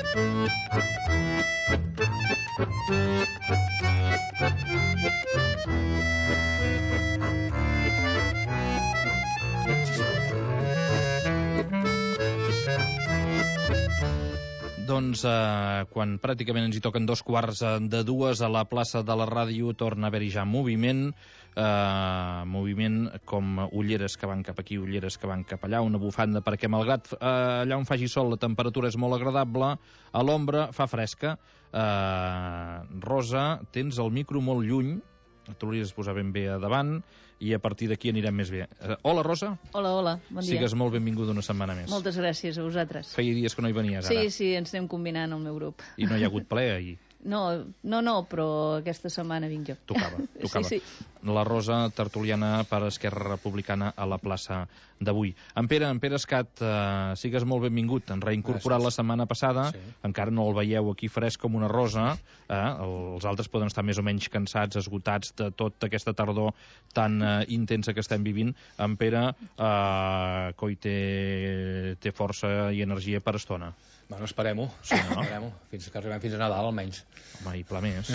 Doncs quan pràcticament ens hi toquen 2:15 a la plaça de la Ràdio torna a haver-hi ja moviment, com ulleres que van cap aquí, ulleres que van cap allà, una bufanda, perquè malgrat allà on faci sol la temperatura és molt agradable, a l'ombra fa fresca. Rosa, tens el micro molt lluny, t'hauries de posar ben bé a davant i a partir d'aquí anirem més bé. Hola, Rosa. Hola, bon dia. Sigues molt benvinguda una setmana més. Moltes gràcies a vosaltres. Feia dies que no hi venies, ara. Sí, ens anem combinant al meu grup. I no hi ha hagut ple ahir? No, però aquesta setmana vinc jo. Tocava. Sí. La Rosa, tertuliana per Esquerra Republicana a la plaça d'avui. En Pere Escat, sigues molt benvingut. Ens reincorporat la setmana passada, encara no el veieu aquí fresc com una rosa, els altres poden estar més o menys cansats, esgotats de tota aquesta tardor tan intensa que estem vivint. En Pere, coi, té força i energia per estona. Bueno, esperem-ho, fins que arribem fins a Nadal almenys. Home, i pla més.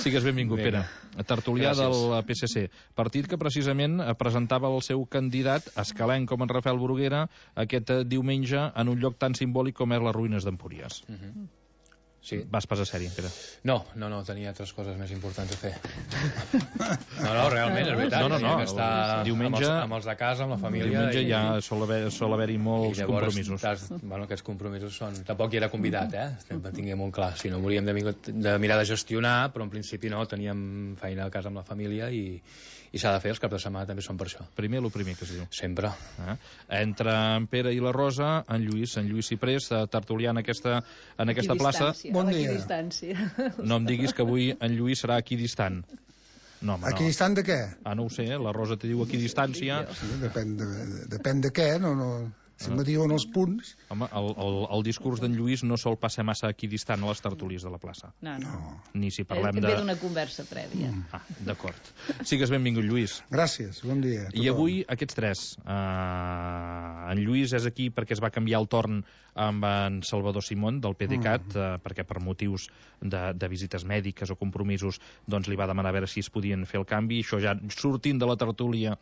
Sigues benvingut, Pere. Tertulià del PSC. Partit que precisament presentava el seu candidat, escalenc com en Rafael Bruguera, aquest diumenge en un lloc tan simbòlic com és les ruïnes d'Empúries. Sí. Vas pas a sèrie, Pere? No, tenia altres coses més importants a fer. No, realment, és veritat. No, diumenge, amb els de casa, amb la família. Diumenge ja sol haver-hi molts compromisos. Aquests compromisos són... Tampoc hi era convidat, tinguem molt clar. Si no, hauríem de mirar de gestionar, però en principi no, teníem feina a casa amb la família i s'ha de fer, els caps de setmana també són per això. Primer que es diu. Sempre. Entre en Pere i la Rosa, en Lluís Ciprés, tertulià en aquesta plaça. Bon dia. No em diguis que avui en Lluís serà aquí distant. No, home, aquí distant de què? No ho sé, la Rosa te diu aquí distància. Sí, depèn de què, no... Si me diuen els punts... Home, el discurs d'en Lluís no sol passar massa aquí distant a les tertulies de la plaça. No. Ni si parlem de... Ve d'una conversa prèvia. D'acord. Sigues benvingut, Lluís. Gràcies, bon dia. I avui, aquests tres. En Lluís és aquí perquè es va canviar el torn amb en Salvador Simón, del PDeCAT, perquè per motius de visites mèdiques o compromisos doncs li va demanar a veure si es podien fer el canvi. Això ja sortint de la tertúlia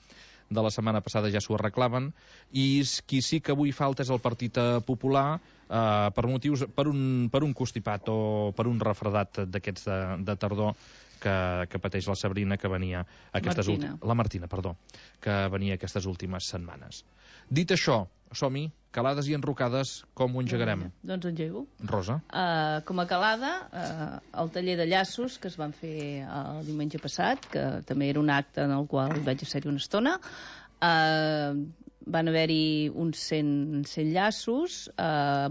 de la setmana passada ja s'ho arreglaven, i qui sí que avui falta és el Partit Popular, per un constipat o per un refredat d'aquests de tardor que pateix la Sabrina, que venia la Martina, que venia aquestes últimes setmanes. Dit això, som-hi, calades i enrocades, com ho engegarem? Doncs engego. Rosa? Com a calada, el taller de llaços que es van fer el diumenge passat, que també era un acte en el qual vaig ser-hi una estona, van haver-hi uns 100 llaços,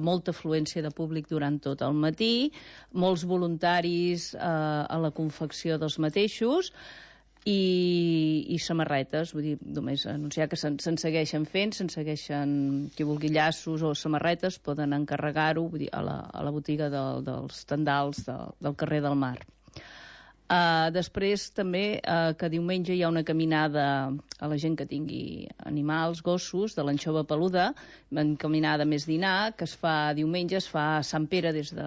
molta afluència de públic durant tot el matí, molts voluntaris a la confecció dels mateixos, i samarretes, vull dir, només anunciar que se'n segueixen fent, qui vulgui llaços o samarretes poden encarregar-ho, vull dir, a la botiga dels tendals del carrer del Mar. Després també que diumenge hi ha una caminada a la gent que tingui animals, gossos, de l'anxova peluda, una caminada més dinar, que es fa diumenge, es fa a Sant Pere des de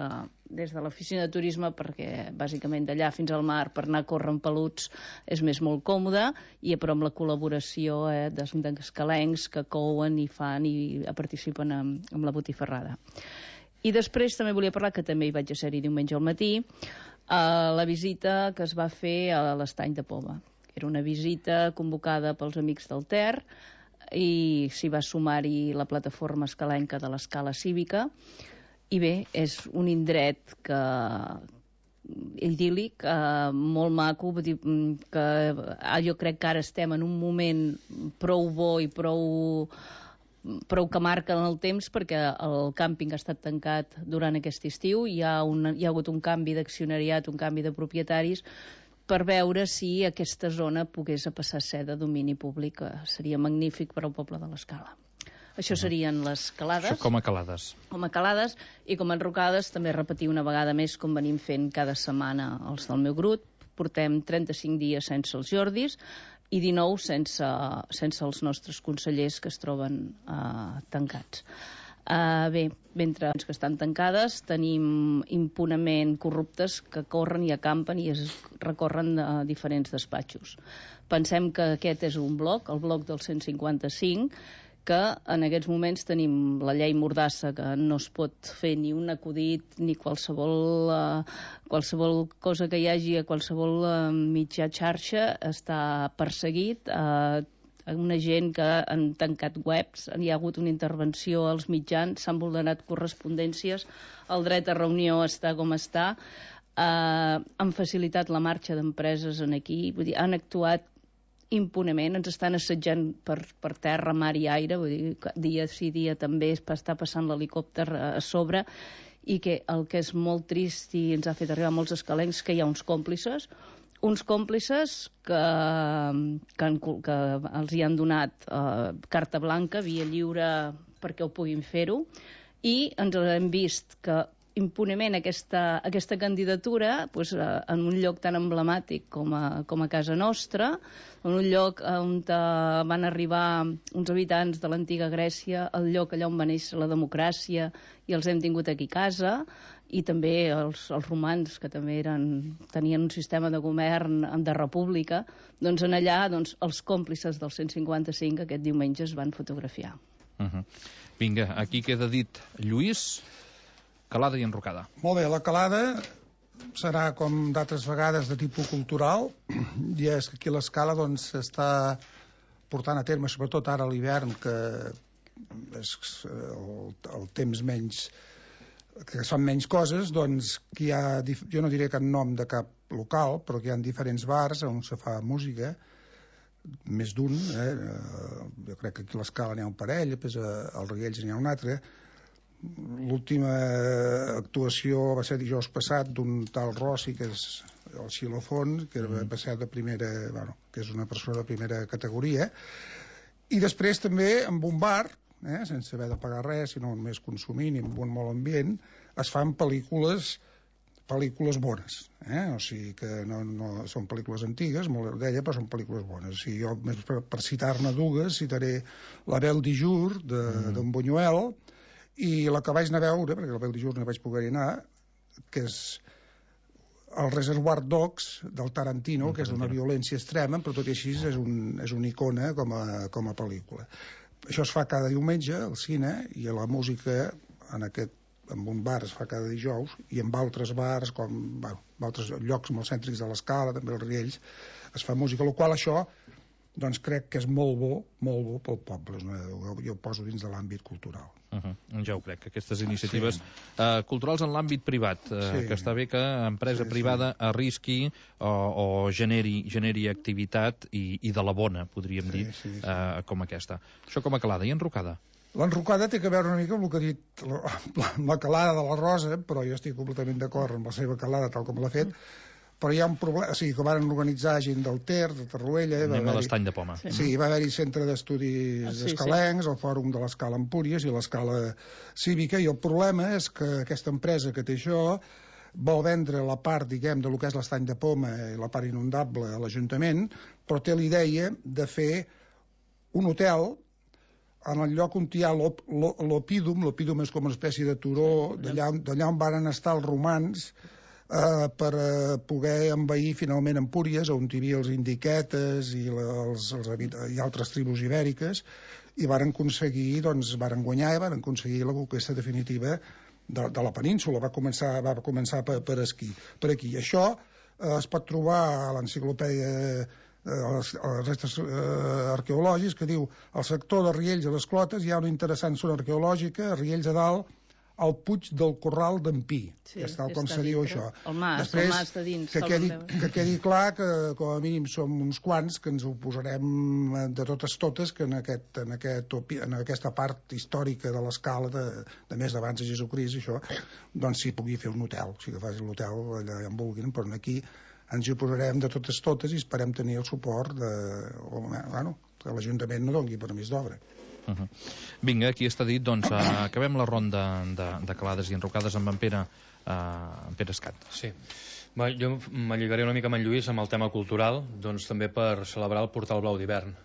l'oficina de turisme, perquè bàsicament d'allà fins al mar per anar a córrer amb peluts és molt còmode, i però amb la col·laboració d'escalencs que couen i fan i participen amb la botifarrada. I després també volia parlar, que també hi vaig ser-hi diumenge al matí, la visita que es va fer a l'Estany de Poma. Era una visita convocada pels Amics del Ter i s'hi va sumar-hi la plataforma escalenca de l'Escala Cívica, i bé, és un indret idíl·lic, molt maco, vull dir que jo crec que ara estem en un moment prou bo i prou que marca en el temps, perquè el càmping ha estat tancat durant aquest estiu, hi ha hagut un canvi d'accionariat, un canvi de propietaris, per veure si aquesta zona pogués passar a ser de domini públic. Seria magnífic per al poble de l'Escala. Això serien les calades. Això com a calades. Com a calades, i com a enrocades també repetir una vegada més, com venim fent cada setmana els del meu grup. Portem 35 dies sense els Jordis i 19 sense els nostres consellers, que es troben tancats. Bé, mentre que estan tancades tenim impunament corruptes que corren i acampen i es recorren a diferents despatxos. Pensem que aquest és un bloc, el bloc del 155, que en aquests moments tenim la llei Mordassa, que no es pot fer ni un acudit ni qualsevol cosa que hi hagi a qualsevol mitjà xarxa està perseguit. Una gent que han tancat webs, hi ha hagut una intervenció als mitjans, s'han vulnerat correspondències, el dret a reunió està com està, han facilitat la marxa d'empreses aquí, vull dir, han actuat impunement, ens estan assetjant per terra, mar i aire, vull dir, dia sí dia també està passant l'helicòpter a sobre, i que el que és molt trist i ens ha fet arribar molts escalencs, que hi ha uns còmplices que els hi han donat carta blanca, via lliure perquè ho puguin fer-ho, i ens hem vist que impunement aquesta candidatura en un lloc tan emblemàtic com a casa nostra, en un lloc on van arribar uns habitants de l'antiga Grècia, el lloc allà on va néixer la democràcia, i els hem tingut aquí a casa, i també els romans, que també tenien un sistema de govern de república, doncs en allà els còmplices del 155 aquest diumenge es van fotografiar. Vinga, aquí queda dit Lluís, calada i enrocada. Molt bé, la calada serà, com d'altres vegades, de tipus cultural, i és que aquí l'Escala s'està portant a terme, sobretot ara a l'hivern, que és el temps menys, que són menys coses, doncs que hi ha, jo no diré cap nom de cap local, però que hi ha diferents bars on se fa música, més d'un, jo crec que aquí a l'Escala n'hi ha un parell, després als Riells n'hi ha un altre. L'última actuació va ser dijous passat d'un tal Rossi, que és el xilòfon, que va ser de primera, que és una persona de primera categoria, i després també amb un bar, sense haver de pagar res, sinó només consumint i amb un molt ambient, es fan pel·lícules bones, o sigui que no són pel·lícules antigues, molt d'ella, però són pel·lícules bones. O sigui, jo, per citar-ne dues, citaré La Belle du Jour, d'en Buñuel, i la que vaig anar a veure, perquè la Belle du Jour no vaig poder anar, que és el Reservoir Dogs del Tarantino, que és d'una violència extrema, però tot i així és una icona com a pel·lícula. Això es fa cada diumenge al cine, i la música en un bar es fa cada dijous, i en altres bars, com altres llocs molt cèntrics de l'Escala, també els Riells, es fa música, el qual això doncs crec que és molt bo pel poble. Jo ho poso dins de l'àmbit cultural. Ja ho crec, aquestes iniciatives culturals en l'àmbit privat, que està bé que empresa privada arrisqui o generi activitat, i de la bona, podríem dir, com aquesta. Això com a calada i enrocada. L'enrocada té que veure una mica amb el que ha dit la calada de la Rosa, però jo estic completament d'acord amb la seva calada tal com l'ha fet, però hi ha un problema, o sigui, que van organitzar gent del Ter, de Torroella... Anem a l'Estany de Poma. Sí, va haver-hi centre d'estudis escalencs, el Fòrum de l'Escala Empúries i l'Escala Cívica, i el problema és que aquesta empresa que té això vol vendre la part, diguem, de lo que és l'Estany de Poma i la part inundable a l'Ajuntament, però té la idea de fer un hotel en el lloc on hi ha l'Opídum. L'Opídum és com una espècie de turó d'allà on van estar els romans per poder envair finalment Empúries, on hi havia els indiquetes i altres tribus ibèriques, i varen aconseguir, varen guanyar i varen aconseguir la conquesta definitiva de la península. Va començar per aquí. Això es pot trobar a l'enciclopèdia els restes arqueològics, que diu: al sector de Riells a les Clotes hi ha una interessant zona arqueològica, a Riells a dalt, al Puig del Corral d'en Pi, que és tal com se diu això. El mas de dins. Que quedi clar que com a mínim som uns quants que ens oposarem de totes que en aquesta part històrica de l'Escala de més d'abans de Jesucrist, això, doncs s'hi pugui fer un hotel, o sigui que faci l'hotel allà on vulguin, però aquí ens hi oposarem de totes i esperem tenir el suport que l'Ajuntament no doni permís d'obra. Vinga, aquí està dit, doncs acabem la ronda de calades i enrocades amb en Pere Escat. Sí. Jo m'alligaré una mica amb en Lluís amb el tema cultural, doncs també per celebrar el Portal Blau d'hivern.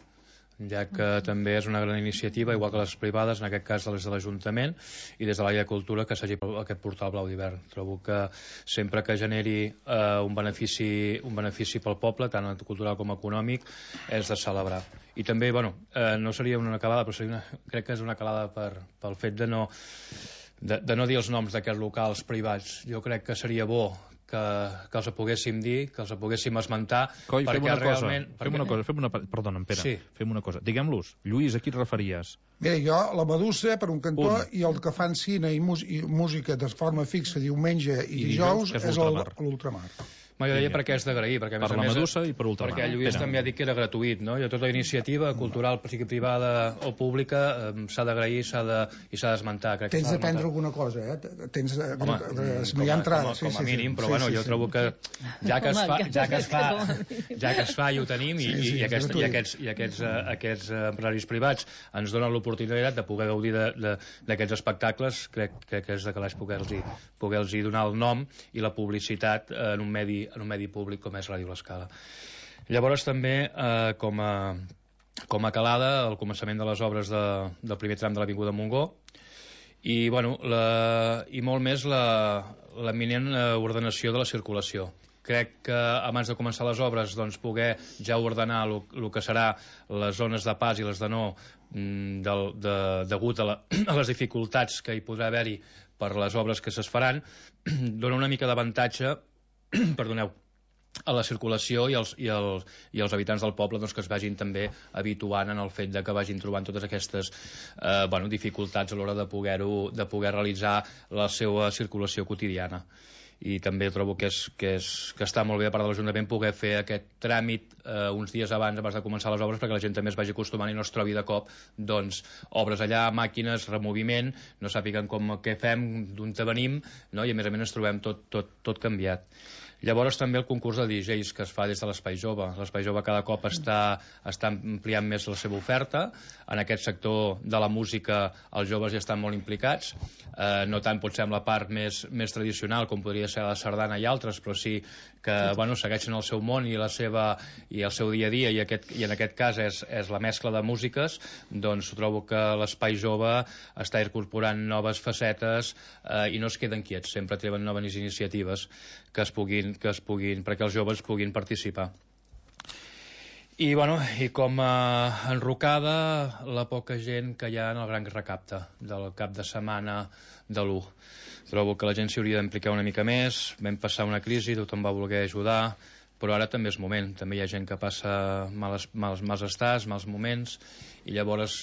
ja que també és una gran iniciativa, igual que les privades, en aquest cas des de l'Ajuntament i des de l'àrea de cultura, que s'hagi aquest portal Blau d'Hivern. Trobo que sempre que generi un benefici pel poble, tant cultural com econòmic, és de celebrar. I també, no seria una calada, però crec que és una calada pel fet de no dir els noms d'aquests locals privats. Jo crec que seria bo que els poguéssim dir, que els poguéssim esmentar. Coi, fem una cosa. Perdona'm, Pere, sí. Fem una cosa. Diguem-los. Lluís, a qui et referies? Bé, jo, la Medusa, per un cantó, i el que fan cine i música de forma fixa diumenge i dijous és l'Ultramar. Jo deia perquè és d'agrair, perquè per la Medusa i per Ultramar. Perquè Lluís també ha dit que era gratuït, no? I tota iniciativa cultural, sigui privada o pública, s'ha d'agrair i s'ha d'esmentar. Tens d'aprendre alguna cosa, eh? Tens hi ha entrada. Com a mínim, però jo trobo que ja que es fa i ho tenim, i aquests empresaris privats ens donen l'oportunitat de poder gaudir d'aquests espectacles, crec que és de calaix poder-los donar el nom i la publicitat en un medi públic com és Ràdio L'Escala. Llavors també com a calada el començament de les obres del primer tram de l'Avinguda Montgó i molt més l'eminent ordenació de la circulació. Crec que abans de començar les obres poder ja ordenar el que serà les zones de pas i les de no degut a les dificultats que hi podrà haver-hi per les obres que es faran, dona una mica d'avantatge a la circulació i els habitants del poble que es vagin també habituant en el fet que vagin trobant totes aquestes dificultats a l'hora de poder realitzar la seva circulació quotidiana. I també trobo que està molt bé a part de l'Ajuntament poder fer aquest tràmit uns dies abans de començar les obres perquè la gent també es vagi acostumant i no es trobi de cop obres allà, màquines, removiment, no sàpiguen què fem, d'on venim, no? I a més ens trobem tot canviat. Llavors també el concurs de DJs que es fa des de l'Espai Jove. L'Espai Jove cada cop està ampliant més la seva oferta. En aquest sector de la música els joves ja estan molt implicats, no tant potser amb la part més tradicional com podria ser la sardana i altres, però sí que segueixen el seu món i el seu dia a dia, i en aquest cas és la mescla de músiques. Doncs trobo que l'Espai Jove està incorporant noves facetes i no es queden quiets, sempre treuen noves iniciatives perquè els joves puguin participar. I com a enrocada la poca gent que hi ha en el gran recapte del cap de setmana de l'1. Trobo que la gent s'hi hauria d'implicar una mica més. Vam passar una crisi, tothom va voler ajudar, però ara també és moment. També hi ha gent que passa mals estats, mals moments, i llavors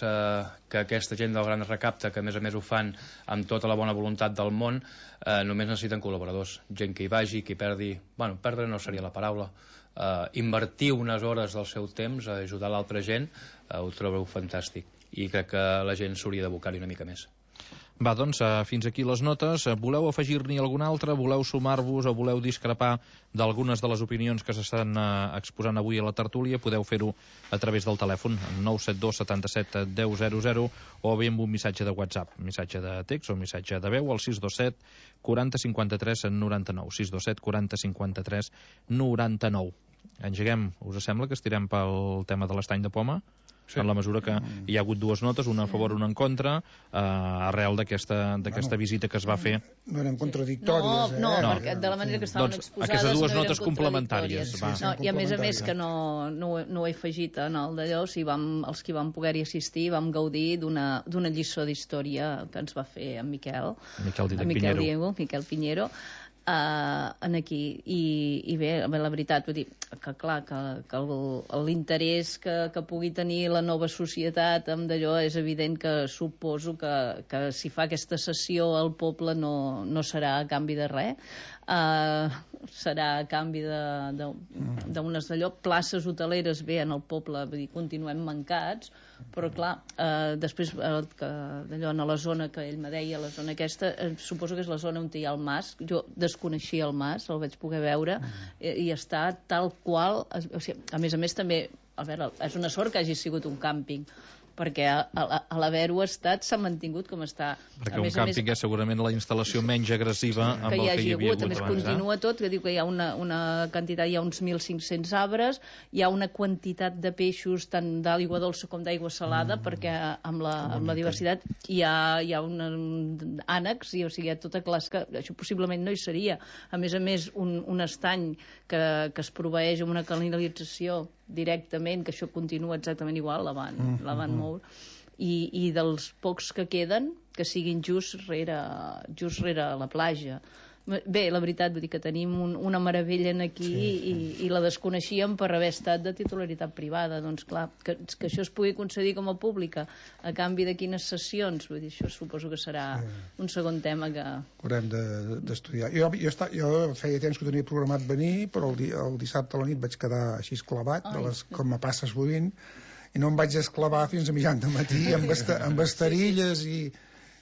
que aquesta gent del gran recapte, que a més ho fan amb tota la bona voluntat del món, només necessiten col·laboradors, gent que hi vagi, que hi perdi, perdre no seria la paraula, invertir unes hores del seu temps a ajudar l'altra gent, ho trobo fantàstic, i crec que la gent s'hauria d'abocar-hi una mica més. Va, doncs, fins aquí les notes. Voleu afegir-n'hi alguna altra? Voleu sumar-vos o voleu discrepar d'algunes de les opinions que s'estan exposant avui a la tertúlia? Podeu fer-ho a través del telèfon 972 77 1000 o bé amb un missatge de WhatsApp, missatge de text o missatge de veu al 627 40 53 99. 627 40 53 99. Engeguem. Us sembla que estirem pel tema de l'estany de poma? Sí. En la mesura que hi ha hagut dues notes, una a favor i una en contra, arrel d'aquesta visita que es va fer. No eren contradictòries. No, perquè de la manera que estaven exposades aquestes dues notes complementàries. I a més que no ho he afegit en el d'allò, els que vam poder-hi assistir vam gaudir d'una lliçó d'història que ens va fer en Miquel Piñero, en aquí, i bé, la veritat, vull dir que clar, que l'interès que pugui tenir la nova societat amb d'allò és evident que suposo que si fa aquesta sessió al poble no serà a canvi de res, serà a canvi d'unes d'allò, places hoteleres bé en el poble, vull dir, continuem mancats, però clar, després d'allò en la zona que ell me deia, la zona aquesta, suposo que és la zona on hi ha el mas. Jo desconeixia el mas, el vaig poder veure i està tal qual, o sigui, a més també, a veure, és una sort que hagi sigut un càmping, perquè a l'haver-ho estat s'ha mantingut com està. Perquè un càmping és segurament la instal·lació menys agressiva amb el que hi havia hagut abans. A més, continua tot, que diu que hi ha una quantitat, hi ha uns 1.500 arbres, hi ha una quantitat de peixos tant d'aigua dolça com d'aigua salada, perquè amb la diversitat hi ha un ànecs, o sigui, hi ha tota classe, que això possiblement no hi seria. A més, un estany que es proveeix amb una canalització directament, que això continua exactament igual, la van moure, i dels pocs que queden, que siguin just rere la platja. Bé, la veritat, vull dir que tenim una meravella aquí i la desconeixíem per haver estat de titularitat privada. Doncs clar, que això es pugui concedir com a pública a canvi de quines sessions, vull dir, això suposo que serà un segon tema que haurem d'estudiar. Jo feia temps que tenia programat venir, però el dissabte a la nit vaig quedar així esclavat, com a passes bovint, i no em vaig esclavar fins a mitjan de matí amb estarilles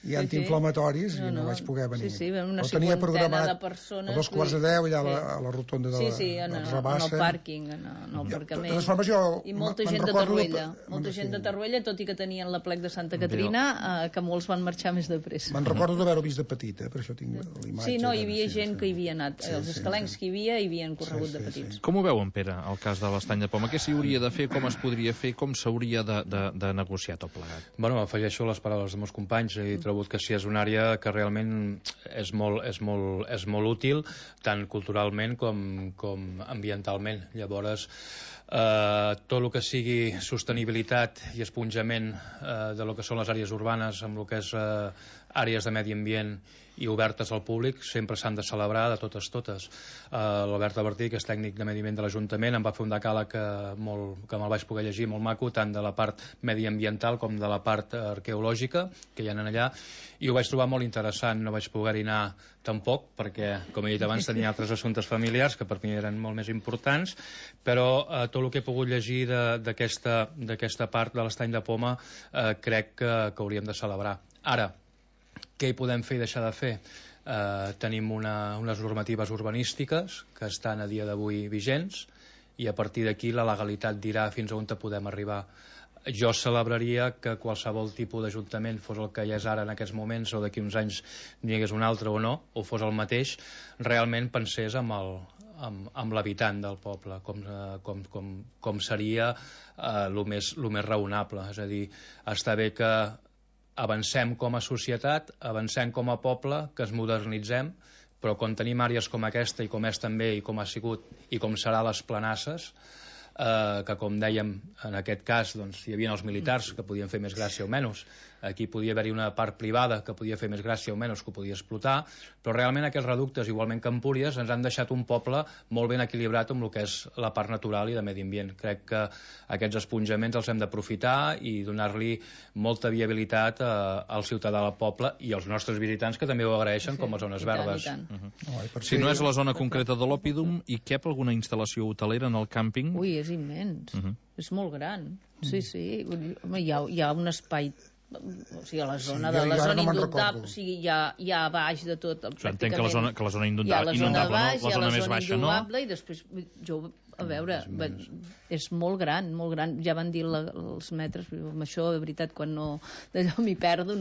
i antiinflamatoris, i no vaig poder venir. Sí, una tenia programat de persones, a 2:15 allà a la rotonda de la Rabassa. En el pàrquing, en el aparcament. I molta gent de Tarruella. Molta gent de Tarruella, tot i que tenien la plec de Santa Caterina, que molts van marxar més de pressa. Me'n recordo d'haver-ho vist de petit, per això tinc l'imatge. Sí, no, hi havia gent que hi havia anat. Els escalencs que hi havien corregut de petits. Com ho veuen, Pere, el cas de l'estany de Poma? Què s'hi hauria de fer, com es podria fer, com s'hauria de negociar tot plegat? Bueno, afegeixo les paraules dels meus companys. He trobat que sí, és una àrea que realment és molt útil, tant culturalment com ambientalment. Llavors, tot el que sigui sostenibilitat i esponjament de lo que són les àrees urbanes amb el que és àrees de medi ambient i obertes al públic sempre s'han de celebrar de totes. L'Albert Albertí, que és tècnic de medi ambient de l'Ajuntament, em va fer un decàleg que me'l vaig poder llegir, molt maco, tant de la part mediambiental com de la part arqueològica que hi ha allà, i ho vaig trobar molt interessant. No vaig poder-hi anar tampoc perquè, com he dit abans, tenia altres assumptes familiars que per mi eren molt més importants, però tot el que he pogut llegir d'aquesta part de l'estany de Poma crec que hauríem de celebrar. Ara, què hi podem fer i deixar de fer? Tenim unes normatives urbanístiques que estan a dia d'avui vigents i a partir d'aquí la legalitat dirà fins a on podem arribar. Jo celebraria que qualsevol tipus d'ajuntament, fos el que hi és ara en aquests moments o d'aquí uns anys n'hi hagués un altre o no, o fos el mateix, realment pensés amb l'habitant del poble, com seria el més raonable. És a dir, està bé que avancem com a societat, avancem com a poble, que es modernitzem, però quan tenim àrees com aquesta i com és també i com ha sigut i com serà les Planasses, que com dèiem en aquest cas doncs, hi havia els militars que podien fer més gràcia o menys, aquí podia haver-hi una part privada que podia fer més gràcia o menys, que ho podia explotar, però realment aquests reductes, igualment que Empúries, ens han deixat un poble molt ben equilibrat amb el que és la part natural i de medi ambient. Crec que aquests esponjaments els hem d'aprofitar i donar-li molta viabilitat al ciutadà del poble i als nostres visitants, que també ho agraeixen, com a zones verdes. Si no és la zona concreta de l'Òpidum, hi cap alguna instal·lació hotelera en el càmping? Ui, és immens. És molt gran. Sí. Home, hi ha un espai, o sigui, a la zona inundable, o sigui, hi ha a baix de tot, pràcticament. Entenc que la zona inundable, la zona més baixa, no? I després, a veure, és molt gran, molt gran. Ja van dir els metres, amb això, de veritat, quan d'allò m'hi perdo,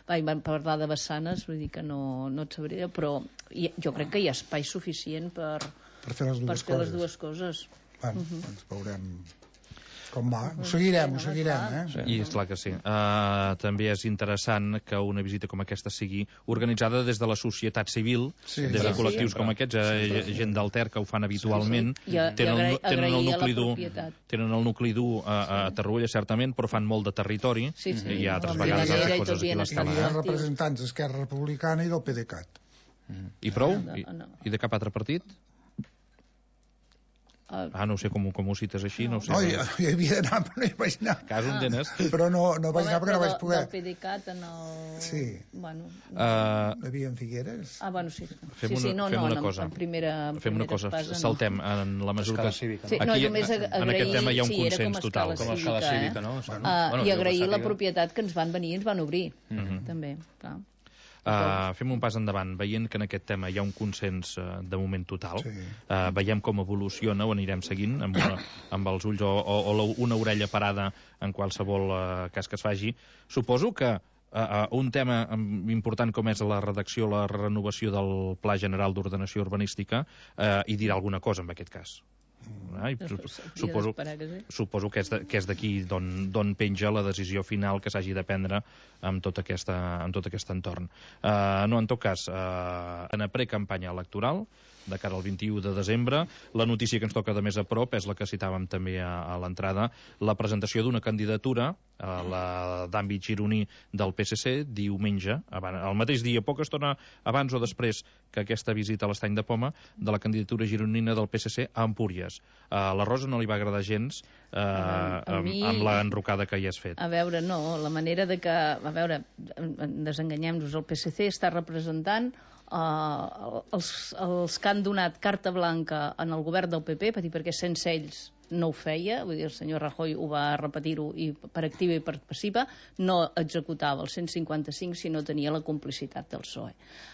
van parlar de vessanes, vull dir que no et sabria, però jo crec que hi ha espai suficient per fer les dues coses. Ens veurem com va. Ho seguirem, I és clar que sí. També és interessant que una visita com aquesta sigui organitzada des de la societat civil, des de col·lectius com aquests, gent del Ter que ho fan habitualment. Tenen el nucli dur a Tarruella, certament, però fan molt de territori, i hi ha altres vegades altres coses aquí a l'escala. Hi ha representants d'Esquerra Republicana i del PDeCAT. I prou? I de cap altre partit? No sé com ho cites així, no ho sé. No, hi havia d'anar, però no hi vaig anar. Cas on tens? Però no vaig anar perquè no vaig poder. Del PDeCAT en el... Sí. Bueno... Havia en Figueres. Bueno, sí. Fem una cosa. Fem una cosa. Saltem en la mesura que... En aquest tema hi ha un consens total. Com a escala cívica, no? I agrair la propietat que ens van venir i ens van obrir, també, clar. Fem un pas endavant, veient que en aquest tema hi ha un consens de moment total, veiem com evoluciona, o anirem seguint amb els ulls o una orella parada en qualsevol cas que es faci. Suposo que un tema important com és la redacció, la renovació del Pla General d'Ordenació Urbanística, hi dirà alguna cosa en aquest cas. Suposo que és d'aquí d'on penja la decisió final que s'hagi de prendre amb tot aquest entorn. No, en tot cas, en precampanya electoral, de cara al 21 de desembre, la notícia que ens toca de més a prop és la que citàvem també a l'entrada, la presentació d'una candidatura, la d'àmbit gironí del PSC, diumenge, el mateix dia, poca estona abans o després que aquesta visita a l'Estany de Poma, de la candidatura gironina del PSC a Empúries. A la Rosa no li va agradar gens amb l'enrocada que hi has fet. A veure, no, la manera de que... A veure, desenganyem-nos, el PSC està representant els que han donat carta blanca en el govern del PP, perquè sense ells no ho feia, vull dir, el senyor Rajoy ho va repetir-ho i per activa i per passiva, no executava el 155 si no tenia la complicitat del PSOE.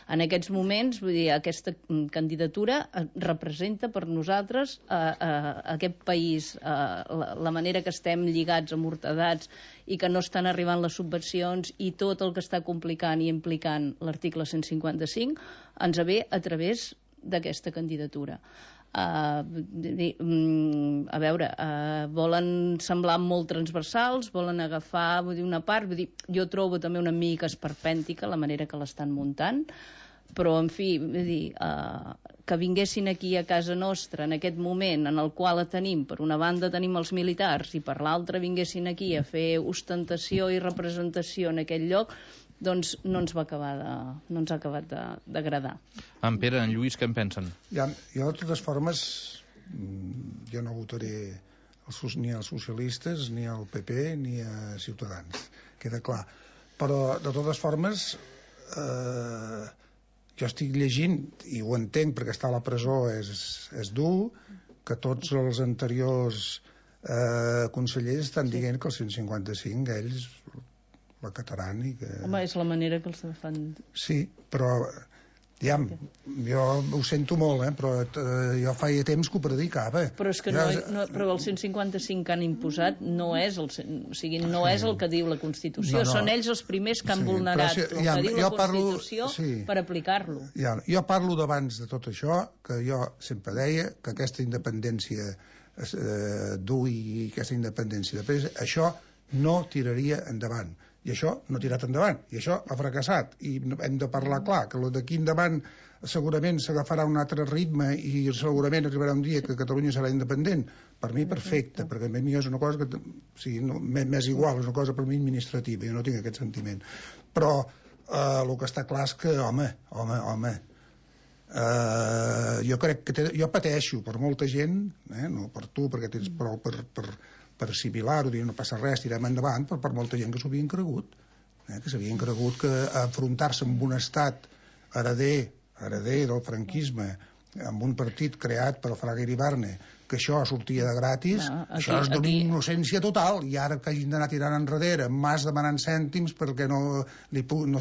En aquests moments, vull dir, aquesta candidatura representa per nosaltres aquest país, la manera que estem lligats, amortadats, i que no estan arribant les subvencions i tot el que està complicant i implicant l'article 155 ens ve a través d'aquesta candidatura. A veure, volen semblar molt transversals, volen agafar una part, jo trobo també una mica esperpèntica la manera que l'estan muntant, però en fi, que vinguessin aquí a casa nostra en aquest moment en el qual tenim, per una banda tenim els militars i per l'altra vinguessin aquí a fer ostentació i representació en aquell lloc, doncs no ens ha acabat d'agradar. En Pere, en Lluís, què en pensen? Jo, de totes formes, jo no votaré ni als socialistes, ni al PP, ni a Ciutadans. Queda clar. Però, de totes formes, jo estic llegint, i ho entenc perquè estar a la presó és dur, que tots els anteriors consellers estan dient que el 155 ells l'acataran i que... Home, és la manera que els fan... Sí, però jo ho sento molt, però jo feia temps que ho predicava. Però és que però el 155 que han imposat no és el que diu la Constitució. Són ells els primers que han vulnerat el que diu la Constitució per aplicar-lo. Jo parlo d'abans de tot això, que jo sempre deia que aquesta independència dur i aquesta independència de pes, això no tiraria endavant. I això no ha tirat endavant, i això ha fracassat, i hem de parlar clar, que d'aquí endavant segurament s'agafarà un altre ritme i segurament arribarà un dia que Catalunya serà independent. Per mi perfecte, perquè a mi és una cosa que m'és igual, és una cosa per mi administrativa, jo no tinc aquest sentiment. Però el que està clar és que, home, jo crec que jo pateixo per molta gent, no per tu, perquè tens prou per assimilar-ho, dir no passa res, tirem endavant, però per molta gent que s'ho havien cregut, que s'havien cregut que enfrontar-se amb un estat hereder del franquisme, amb un partit creat per Fraga Iribarne, que això sortia de gratis, això és d'una innocència total, i ara que hagin d'anar tirant enrere, mas demanant cèntims perquè no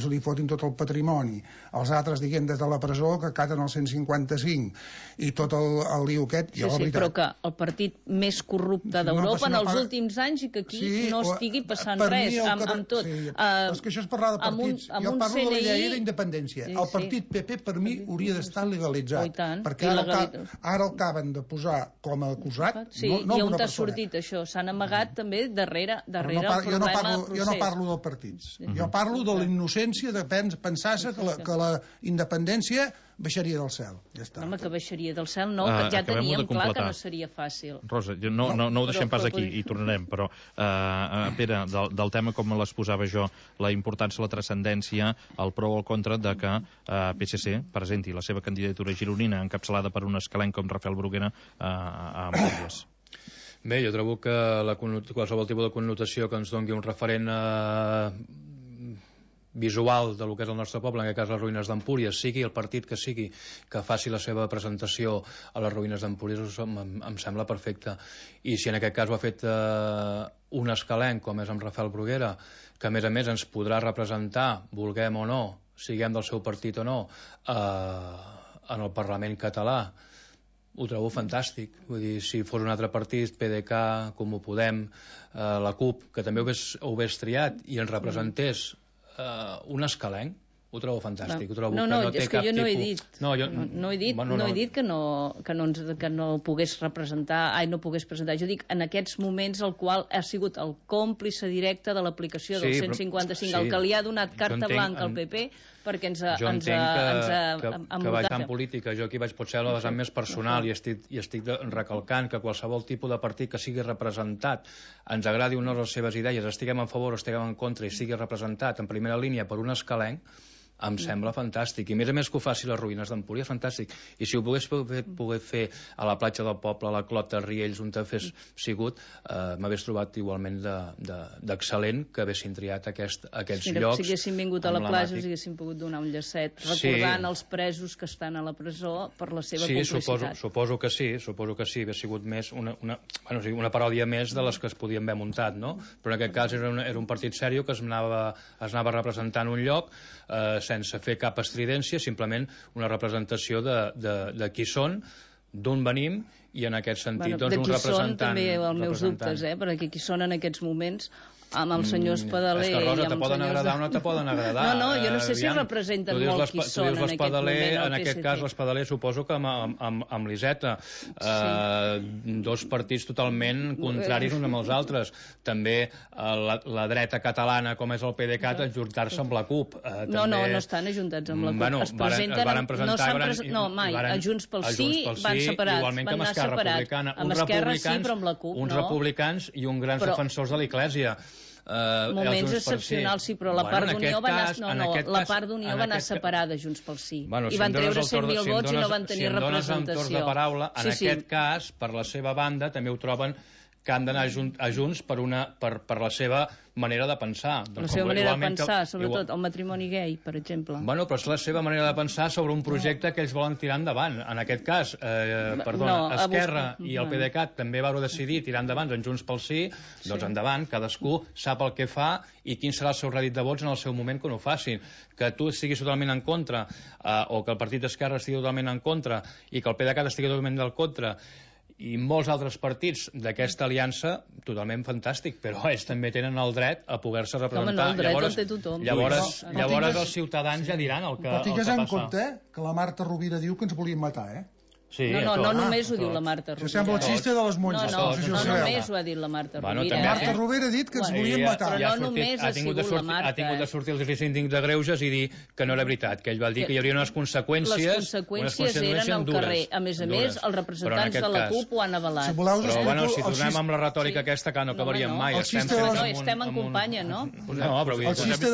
se li fotin tot el patrimoni, els altres, diguem, des de la presó, que acaten el 155, i tot el lío aquest... Sí, però que el partit més corrupte d'Europa en els últims anys i que aquí no estigui passant res amb tot. És que això és parlar de partits. Jo parlo de la llei d'independència. El partit PP, per mi, hauria d'estar legalitzat, perquè ara el acaben de posar com a acusat. Sí, i on t'ha sortit això? S'han amagat també darrere el problema procés. Jo no parlo dels partits. Jo parlo de la innocència de pensar-se que la independència baixaria del cel. Ja està. Home, que baixaria del cel, no, que ja teníem clar que no seria fàcil. Rosa, no ho deixem pas aquí, i tornarem, però, Pere, del tema com les posava jo, la importància, la transcendència, el pro o el contra de que PSC presenti la seva candidatura gironina encapçalada per un escalenc com Rafael Bruguera a Empúries. Bé, jo trobo que qualsevol tipus de connotació que ens doni un referent visual de lo que és el nostre poble, en aquest cas les ruïnes d'Empúries, sigui el partit que sigui que faci la seva presentació a les ruïnes d'Empúries, em sembla perfecte. I si en aquest cas ho ha fet un escalenc, com és amb Rafael Bruguera, que a més ens podrà representar, vulguem o no, siguem del seu partit o no, en el Parlament català, ho trobo fantàstic. Vull dir, si fos un altre partit, PDeCAT, Comú Podem, la CUP, que també ho hagués triat i ens representés un escalenc, ho trobo fantàstic. Ho trobo és que jo no he dit. No he dit que no pogués representar, no pogués presentar. Jo dic en aquests moments el qual ha sigut el còmplice directe de l'aplicació del 155, el que li ha donat carta blanca al PP perquè ens ha que vaig en política, jo aquí vaig potser a la vessant més personal i estic recalcant que qualsevol tipus de partit que sigui representat, ens agradi o no les seves idees, estiguem a favor o estiguem en contra i sigui representat en primera línia per un escalenc, em sembla fantàstic. I a més que ho faci les ruïnes d'Empúries, fantàstic. I si ho pogués fer a la platja del poble, a la Clota, Riells, on t'hagués sigut, m'hagués trobat igualment d'excel·lent que haguessin triat aquests llocs. Si haguessin vingut a la platja, us haguessin pogut donar un llacet recordant els presos que estan a la presó per la seva complicitat. Suposo que sí, hauria sigut més una paròdia més de les que es podien haver muntat, no? Però en aquest cas era un partit sèrio que es anava representant un lloc sense fer cap estridència, simplement una representació de qui són, d'on venim, i en aquest sentit un representant... De qui són també els meus dubtes, perquè qui són en aquests moments amb el senyor Espadaler... És que, Rosa, te poden agradar o no te poden agradar. No, jo no sé si representen molt qui són en aquest moment. En aquest cas, l'Espadaler suposo que amb l'Iseta. Dos partits totalment contraris uns amb els altres. També la dreta catalana, com és el PDeCAT, ajuntar-se amb la CUP. No estan ajuntats amb la CUP. Es presenten... No, mai. A Junts pel Sí van separats. Igualment que amb Esquerra Republicana. Amb Esquerra sí, però amb la CUP no. Uns republicans i uns grans defensors de l'Església. Moments excepcionals, sí, però la part d'Unió va anar separada Junts pel Sí. I van treure 100.000 vots i no van tenir representació. Si em dones torns de paraula, en aquest cas, per la seva banda, també ho troben que han d'anar a Junts per la seva manera de pensar. La seva manera de pensar, sobretot el matrimoni gay, per exemple. Bueno, però és la seva manera de pensar sobre un projecte que ells volen tirar endavant. En aquest cas, Esquerra i el PDeCAT també vau decidir tirar endavant en Junts pel Sí, doncs endavant, cadascú sap el que fa i quin serà el seu rèdit de vots en el seu moment quan ho facin. Que tu estiguis totalment en contra, o que el partit d'Esquerra estigui totalment en contra, i que el PDeCAT estigui totalment en contra, i molts altres partits d'aquesta aliança, totalment fantàstic, però ells també tenen el dret a poder-se representar. El dret el té tothom. Llavors els ciutadans ja diran el que passa. Però tingues en compte que la Marta Rovira diu que ens volien matar, Sí, no només ho diu la Marta Rovira. Això sembla el xiste de les monges. No només ho ha dit la Marta Rovira. Marta Rovira ha dit que ens volien matar. Però no només ha sigut la Marta. Ha tingut de sortir el síndic de Greuges i dir que no era veritat, que ell va dir que hi hauria unes conseqüències. Les conseqüències eren al carrer. A més, els representants de la CUP ho han avalat. Però si tornem amb la retòrica aquesta, que no acabaríem mai. Estem en companya, no? No, però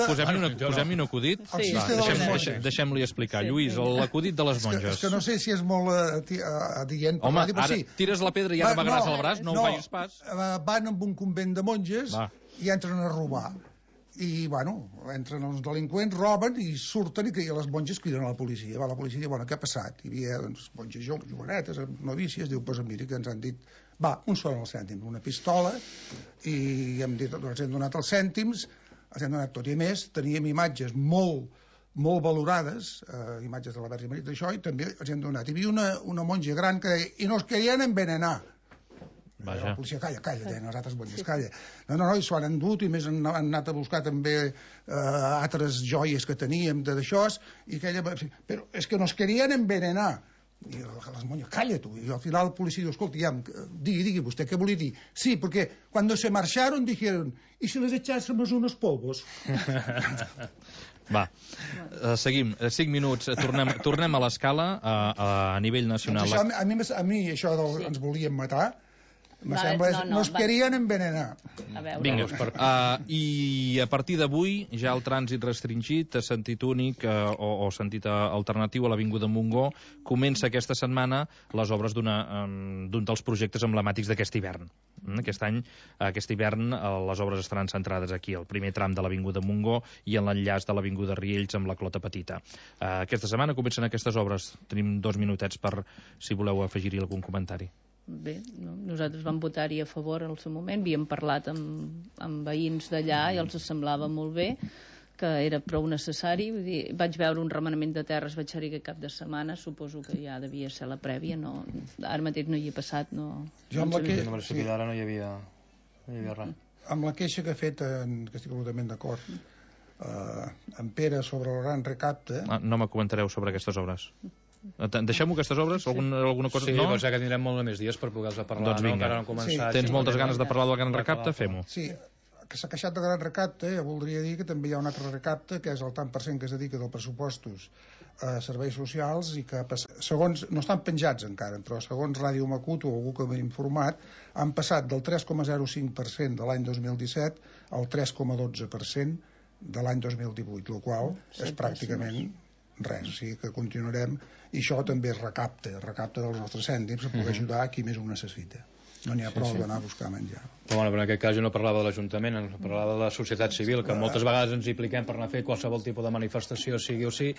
posem-hi un acudit. Deixem-li explicar. Lluís, l'acudit de les monges. És que no sé si és molt adient. Home, ara tires la pedra i ara m'agràs el braç, no ho facis pas. Van amb un convent de monges i entren a robar. I, entren els delinqüents, roben i surten i les monges criden a la policia. La policia diu, què ha passat? Hi havia monges jovenetes, novícies, diu, mira que ens han dit, un sol el cèntim, una pistola, i hem dit, ens hem donat els cèntims, ens hem donat tot. I a més, teníem imatges molt valorades, imatges de la Verge Maria d'això, i també els hem donat. Hi havia una monja gran que deia, i nos querien envenenar. La policia, calla, deien les altres monges, calla. No, i s'ho han endut, i més han anat a buscar també altres joies que teníem d'això, i aquella... Però és que nos querien envenenar. I les monges, calla tu. I al final el policia diu, escolta, digui vostè, què volia dir? Sí, porque cuando se marcharon dijeron, ¿y si les echásemos unos polvos? Seguim, 5 minuts, tornem a l'escala a nivell nacional. Doncs a mi això ens volien matar, me sembla, nos querien envenenar. Vinga, i a partir d'avui ja el trànsit restringit a sentit únic o sentit alternatiu a l'Avinguda Montgó comença aquesta setmana les obres d'un dels projectes emblemàtics d'aquest hivern. Aquest hivern les obres estaran centrades aquí, al primer tram de l'Avinguda Montgó i en l'enllaç de l'Avinguda Riells amb la Clota Petita. Aquesta setmana comencen aquestes obres. Tenim 2 minutets per si voleu afegir-hi algun comentari. Bé, nosaltres vam votar-hi a favor al seu moment, havíem parlat amb veïns d'allà i els semblava molt bé que era prou necessari. Vull dir, vaig veure un remenament de terres, vaig ser-hi aquest cap de setmana, suposo que ja devia ser la prèvia, no, ara mateix no hi he passat, no... Jo amb la que... Ara no hi havia res. Amb la queixa que ha fet, que estic absolutament d'acord, en Pere sobre el gran recapte... No me comentareu sobre aquestes obres. Deixem-ho, aquestes obres? Alguna cosa? Sí, no? Doncs que tindrem molt més dies per poder-se parlar. Doncs vinga. Encara no han començat. Tens moltes ganes de parlar del gran recapte? Fem-ho. Sí, que s'ha queixat del gran recapte, voldria dir que també hi ha un altre recapte, que és el tant per cent que es dedica dels pressupostos a serveis socials i que, segons, no estan penjats encara, però segons Ràdio Macut o algú que m'ha informat, han passat del 3,05% de l'any 2017 al 3,12% de l'any 2018, el qual és pràcticament res, o sigui que continuarem, i això també es recapta dels nostres cèntims per poder ajudar a qui més ho necessita. No n'hi ha prou d'anar a buscar menjar. Però bueno, en aquest cas jo no parlava de l'Ajuntament, parlava de la societat civil, que moltes vegades ens impliquem per anar a fer qualsevol tipus de manifestació, sigui o sí,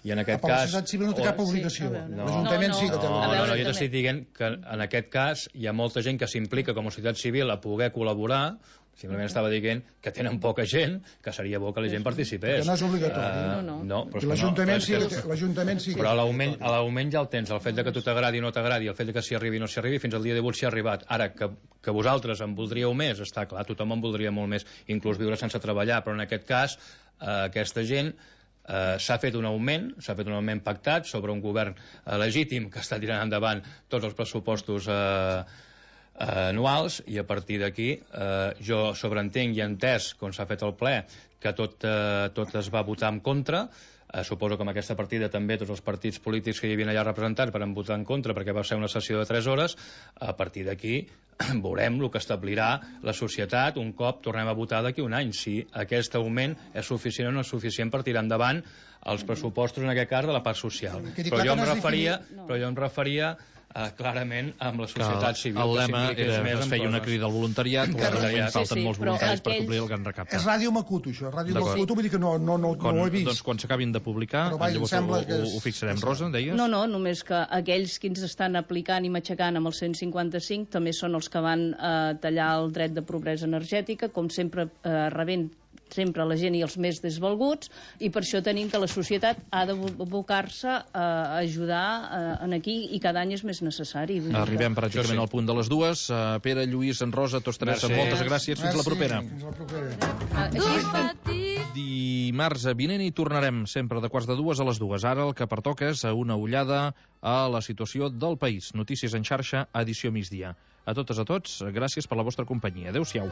i en aquest cas... La societat civil no té cap obligació. L'Ajuntament sí que té obligació. No, jo t'estic dient que en aquest cas hi ha molta gent que s'implica com a societat civil a poder col·laborar. Simplement estava dient que tenen poca gent, que seria bo que la gent participés. Perquè no és obligatori. No, però l'Ajuntament sí que... Però a l'augment ja el tens, el fet de que tu t'agradi o no t'agradi, el fet de que s'hi arribi o no s'hi arribi, fins al dia d'avui s'hi ha arribat. Ara, que vosaltres en voldríeu més, està clar, tothom en voldria molt més, inclús viure sense treballar, però en aquest cas, aquesta gent s'ha fet un augment pactat sobre un govern legítim que està tirant endavant tots els pressupostos anuals, i a partir d'aquí jo sobreentenc i he entès, com s'ha fet el ple, que tot es va votar en contra. Suposo que amb aquesta partida també tots els partits polítics que hi havia allà representats van votar en contra perquè va ser una sessió de 3 hores. A partir d'aquí veurem el que establirà la societat un cop tornem a votar d'aquí un any, si aquest augment és suficient o no és suficient per tirar endavant els pressupostos, en aquest cas de la part social. Però jo em referia clarament amb la societat civil. El lema es feia una crida al voluntariat, falten molts voluntaris per complir el gran recapte. És Ràdio Macut, això. Ràdio Macut, vull dir que no ho he vist. Doncs quan s'acabin de publicar, llavors ho fixarem. Rosa, deies? No, només que aquells que ens estan aplicant i matxacant amb el 155 també són els que van tallar el dret de pobresa energètica, com sempre rebent sempre la gent i els més desvalguts, i per això tenim que la societat ha d'abocar-se a ajudar en aquí, i cada any és més necessari. Arribem pràcticament al punt de les 2. Pere, Lluís, en Rosa, tots tres, moltes gràcies. Fins la propera. Dimarts vinent hi tornarem, sempre de 1:45 a les 2. Ara el que pertoca és una ullada a la situació del país. Notícies en xarxa, edició migdia. A totes, a tots, gràcies per la vostra companyia. Adéu-siau.